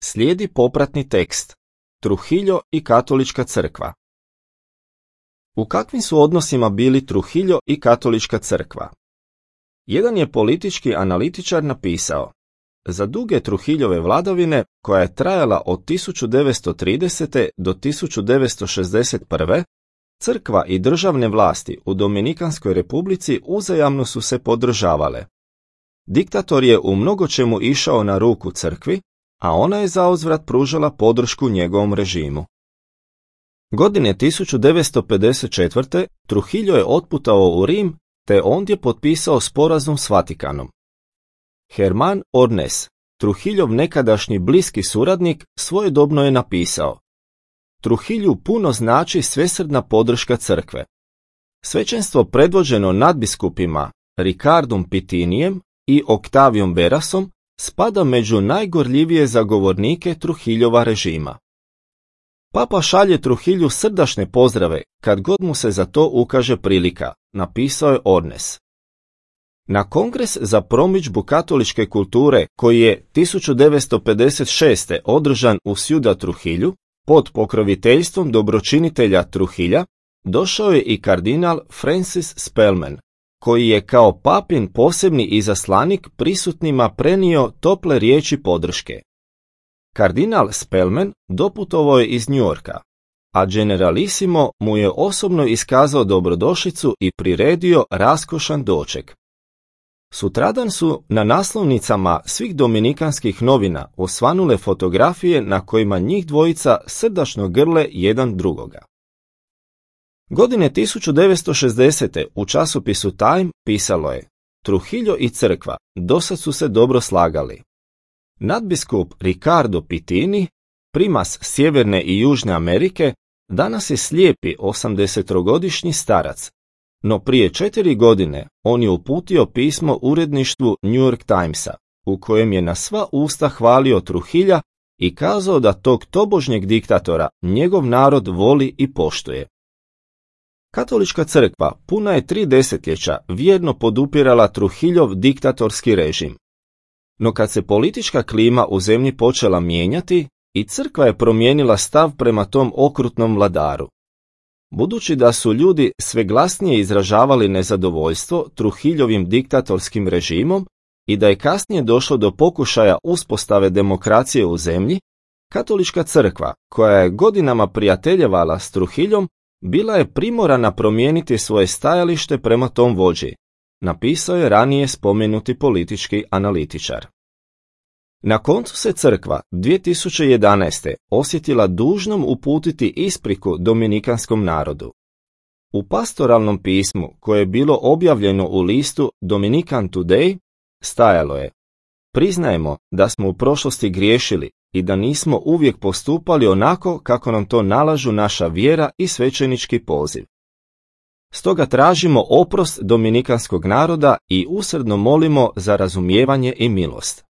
Slijedi popratni tekst. Trujillo i katolička crkva. U kakvim su odnosima bili Trujillo i katolička crkva? Jedan je politički analitičar napisao: za duge Trujillove vladavine, koja je trajala od 1930. do 1961. crkva i državne vlasti u Dominikanskoj republici uzajamno su se podržavale. Diktator je u mnogočemu išao na ruku crkvi, a ona je zauzvrat pružala podršku njegovom režimu. Godine 1954. Trujillo je otputovao u Rim, te ondje potpisao sporazum s Vatikanom. Herman Ornes, Trujillov nekadašnji bliski suradnik, svojedobno je napisao: Trujillu puno znači svesrdna podrška crkve. Svećenstvo predvođeno nadbiskupima Ricardom Pitinijem i Octaviom Berasom spada među najgorljivije zagovornike Trujillova režima. Papa šalje Trujillu srdačne pozdrave kad god mu se za to ukaže prilika, napisao je Ornes. Na kongres za promidžbu katoličke kulture, koji je 1956. održan u Ciudad Trujillu, pod pokroviteljstvom dobročinitelja Trujilla, došao je i kardinal Francis Spellman, koji je kao papin posebni izaslanik prisutnima prenio tople riječi podrške. Kardinal Spellman doputovao je iz New Yorka, a generalissimo mu je osobno iskazao dobrodošlicu i priredio raskošan doček. Sutradan su na naslovnicama svih dominikanskih novina osvanule fotografije na kojima njih dvojica srdačno grle jedan drugoga. Godine 1960. u časopisu Time pisalo je: Trujillo i crkva dosad su se dobro slagali. Nadbiskup Ricardo Pitini, primas Sjeverne i Južne Amerike, danas je slijepi 80-godišnji starac, no prije 4 godine on je uputio pismo uredništvu New York Timesa, u kojem je na sva usta hvalio Trujilla i kazao da tog tobožnjeg diktatora njegov narod voli i poštuje. Katolička crkva puna je 3 desetljeća vjerno podupirala Trujillov diktatorski režim. No kad se politička klima u zemlji počela mijenjati, i crkva je promijenila stav prema tom okrutnom vladaru. Budući da su ljudi sve glasnije izražavali nezadovoljstvo Trujillovim diktatorskim režimom i da je kasnije došlo do pokušaja uspostave demokracije u zemlji, katolička crkva, koja je godinama prijateljevala s Trujillom, bila je primorana promijeniti svoje stajalište prema tom vođi, napisao je ranije spomenuti politički analitičar. Na koncu se crkva 2011. osjetila dužnom uputiti ispriku dominikanskom narodu. U pastoralnom pismu, koje je bilo objavljeno u listu Dominican Today, stajalo je: priznajemo da smo u prošlosti griješili i da nismo uvijek postupali onako kako nam to nalažu naša vjera i svećenički poziv. Stoga tražimo oprost dominikanskog naroda i usrdno molimo za razumijevanje i milost.